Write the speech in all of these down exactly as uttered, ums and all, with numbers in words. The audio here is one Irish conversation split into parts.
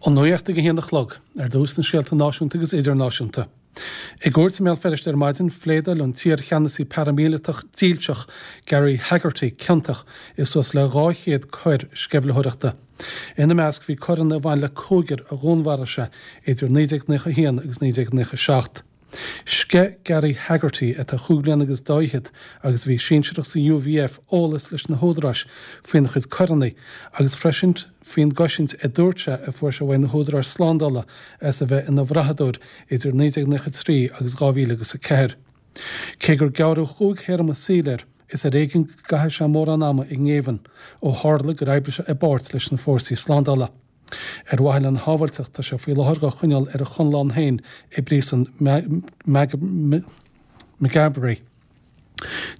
An nuacht ag a haon a chlog, ar dtús na scéalta náisiúnta agus idirnáisiúnta. I gcúirt i mBéal Feirste ar maidin, phléadáil an t-iarcheannasaí paraimíleatach dílseach Gary Haggerty ciontach i suas le dhá chéad coir sceimhlitheoireachta. Ina measc bhí coireanna a bhain le cúigear a dhúnmharaigh sé idir naoi déag naocha a haon agus naoi déag naocha a seacht. Sceith Gary Haggerty, atá chúig bliana agus dá fhichead agus a bhí sinsearach sa UVF, eolas leis na húdaráis faoina chuid coireanna agus freisin faoin gcosaint a dúirt sé a fuair sé uaidh na húdaráis slándála as a bheith ina bhrathadóir idir naoi déag naocha trí agus dhá mhíle agus a ceathair. Cé gur gearradh chúig théarma saoil air, is ar éigean go gcaithfidh sé mórán ama i ngéibheann, ó tharla gur oibrigh sé i bpáirt leis na fórsaí slándála. Ar mhaithe lena shábháilteacht, tá sé faoi láthair dhá choinneáil ar a chonlán féin i bpríosún Maghaberry.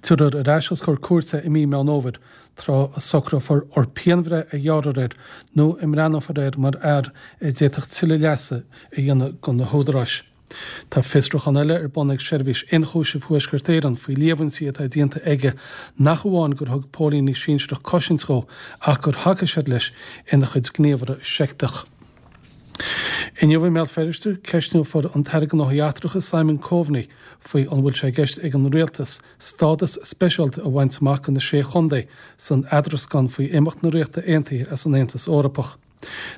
Tabharfar ar ais os comhair cúirte i mí Meán Fhómhair, tráth a socrófar an pianbhreith a ghearrfar air nó a mbreathnófar air mar fhear a d'fhéadfadh tuilleadh leasa a dhéanamh do na húdaráis. Tá fiosrúchán eile ar bun ag Seirbhís Ionchúisimh Thuaisceart Éireann faoi líomhaintí atá déanta aige nach amháin gur thug póilíní sinsearach cosaint dhó ach gur thacaigh siad leis ina chuid gníomhartha seicteach. Inniu i mBéal Feirste, ceistneofar an tAire Gnóthaí Eachtracha Simon Coveney faoi an bhfuil sé i gceist ag an Rialtas stádas speisialta a bhaint amach do na Sé Chontae san eadrascán faoi imeacht na Ríochta Aontaithe as an Aontas Eorpach.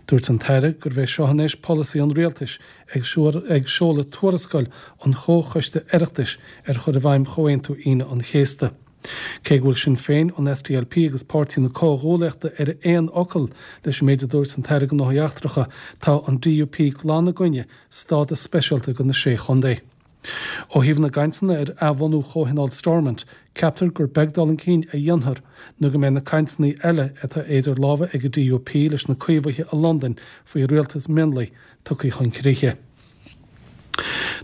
Dúirt an tAire gurbh é seo anois polasaí an rialtais ag seoladh tuarascáil an Chomhchoiste Oireachtais ar chur i bhfeidhm Chomhaontú Aoine an Chéasta. Cé go bhfuil Sinn Féin, an SDLP agus Páirtí na Comhghuaillíochta ar aon fhocal leis an méid a dúirt an tAire Gnóthaí Eachtracha, tá an DUP glan i gcoinne stádas speisialta do na Sé Chontae. Ó thaobh na gcainteanna ar athbhunú Chomhthionól Stormont, ceaptar gur beag dul chun cinn a dhéanfar nó go mbeidh na cainteanna eile atá idir lámha ag an DUP leis na Caomhaithe i Londain faoi rialtas mionlaigh tugtha chun críche.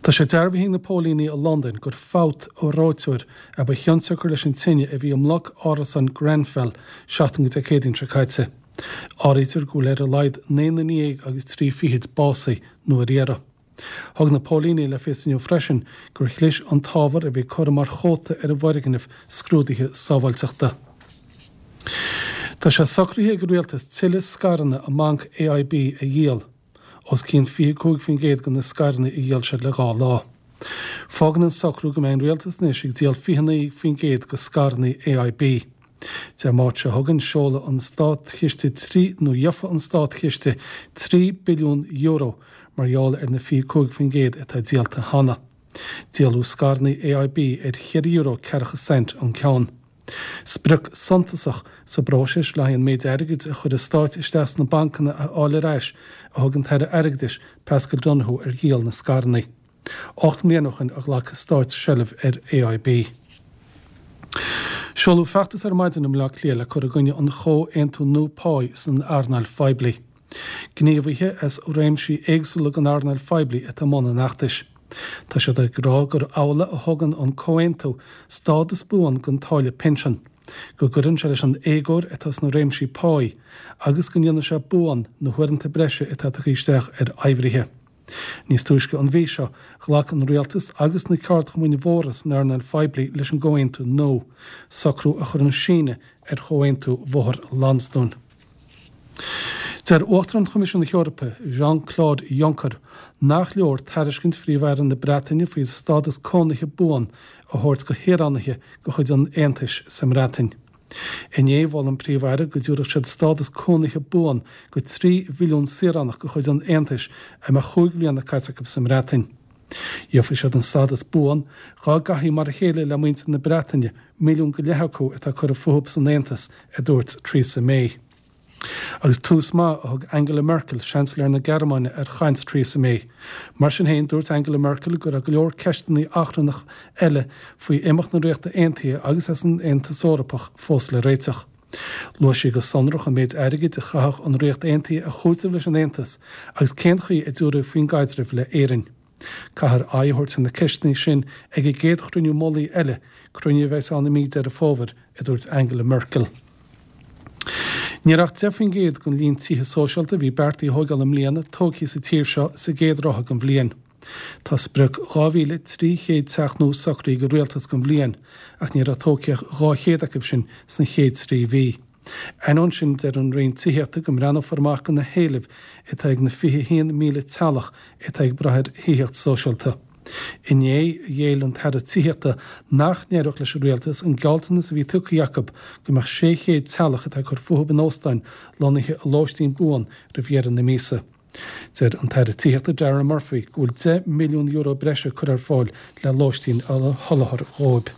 Tá sé dearbhaithe ag na póilíní i Londain gur fabht ó reoiteoir a ba chionsiocair leis an tine a bhí i mbloc árasán Grenfell seachtain go Dé Céadaoin seo caite. Áirítear go bhfuil ar a laghad naoi nduine dhéag agus trí fichid básaithe nó ar iarraidh. Thug na póilíní le fios inniu freisin gur chlis an t-ábhar a bhí curtha mar chóta ar an bhfoirgneamh scrúduithe sábháilteachta. Tá sé socraithe ag an rialtas tuilleadh scaireanna i mbanc AIB a dhíol, os cionn fiche cúig faoin gcéad de na scaireanna a dhíol siad le dhá lá. Fágann an socrú go mbeidh an rialtas anois ag díol fiche naoi faoin gcéad de scaireanna AIB. Dé Máirt seo chugainn, seolfaidh an státchiste trí, nó gheobhaidh an státchiste trí billiún euro mar gheall ar na fiche cúig faoin gcéad atá díolta cheana. Díoladh scaireanna AIB ar cheithre euro ceathracha cent an ceann. Sprioc suntasach sa bpróiseas le haghaidh an méid airgid a chuir an Stát isteach sna bancanna a fháil ar ais a thug an tAire Airgeadais Paschal Donohoe ar dhíol na scaireanna. Ocht mbliana ó shin a ghlac an Stát seilbh ar AIB. Seoladh feachtas ar maidin i mBaile Átha Cliath le cur i gcoinne an chomhaontú nua páí san earnáil phoiblí. Gníomhaithe as réimsí éagsúla den earnáil phoiblí atá i mbun an fheachtais. Tá siad ag rá gur amhlaidh a thugann an comhaontú stádas buan don táille pinsean, go gcuireann sé leis an éagóir atá sna réimsí páí agus go ndéanann sé buan na huaireanta breise atá tugtha isteach ar oibrithe. Níos túisce an mhí seo, ghlac an rialtas agus na ceardchumainn mhóra san earnáil phoiblí leis an gcomhaontú nua, socrú a chuireann síneadh ar Chomhaontú Bhóthar Lansdún. Deir Uachtarán Choimisiún na hEorpa, Jean-Claude Juncker, nach leor tairiscint Phríomh-Aire na Breataine faoi stádas cónaithe buan a thabhairt do shaoránaithe de chuid an Aontais sa mBreatain. Inné, mhol an Príomh-Aire go dtabharfadh siad stádas cónaithe buan go trí mhilliún saoránach de chuid an Aontais a mbeadh chúig bhliana caite acu sa mBreatain. Gheobhaidh siad an stádas buan dhá gcaithfí mar a chéile le muintir na Breataine, milliún go leith acu atá curtha fúthu san Aontas, a dúirt Theresa May. Agus tús maith a thug Angela Merkel, Seansailéir na Gearmáine, ar chaint Theresa May. Mar sin féin, dúirt Angela Merkel go raibh go leor ceisteanna achrannach eile faoi imeacht na Ríochta Aontaithe agus as an Aontas Eorpach fós le réiteach. Luaigh sí go sonrach an méid airgid a chaithfeadh an Ríocht Aontaithe a chúiteamh leis an Aontas agus cén chaoi a dtabharfaí faoin gcaidreamh le Éirinn. Caithfear aghaidh a thabhairt ar na ceisteanna sin ag an gcéad chruinniú mullaigh eile, cruinniú a bheas ann i mí Deireadh Fómhair, a dúirt Angela Merkel. Ní raibh ach deich faoin gcéad den líon tithe sóisialta a bhí beartaithe a thóigeáil i mbliana tógtha sa tír seo sa gcéad ráithe den bhliain. Tá sprioc dhá mhíle trí chéad teach nua socraithe ag an rialtas don bhliain, ach ní raibh tógtha ach dhá chéad acu sin sna chéad trí mhí. Ainneoin sin, deir an Roinn Tithíochta go mbreathnófar amach do na héilimh atá ag na fiche a haon míle teaghlach atá ag brath ar thithíocht sóisialta. Inné, ghéill an tAire Tithíochta nach n-éireodh leis an Rialtas an gealltanas a bhí tugtha acu go mbeadh sé chéad teaghlach atá ag cur fúthu in óstáin lonnaithe i lóistín buan roimh dheireadh na míosa. Deir an tAire Tithíochta Darragh Murphy go bhfuil deich milliún euro breise curtha ar fáil le lóistín a sholáthar dhóibh.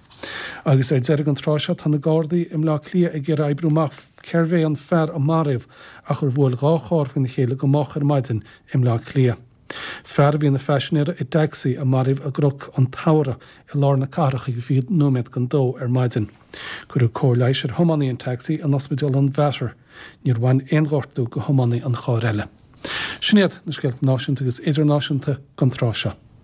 Agus ar deireadh an tráth seo tá na Gardaí i mBleá Cliath ag iarraidh oibriú amach cérbh é an fear a maraíodh ach ar bhuail dhá charr faoina chéile go moch ar maidin i mBleá Cliath. Fear a bhí ina phaisinéir i dtacsaí a maraíodh i gCnoc an tSamhraidh i lár na cathrach ag fiche nóiméad don dó ar maidin. Cuireadh cóir leighis ar thiománaí an tacsaí in Ospidéal an Mhater. Níor bhain aon ghortú go thiománaí an chairr eile. Sin iad na scéalta náisiúnta agus idirnáisiúnta don tráth seo.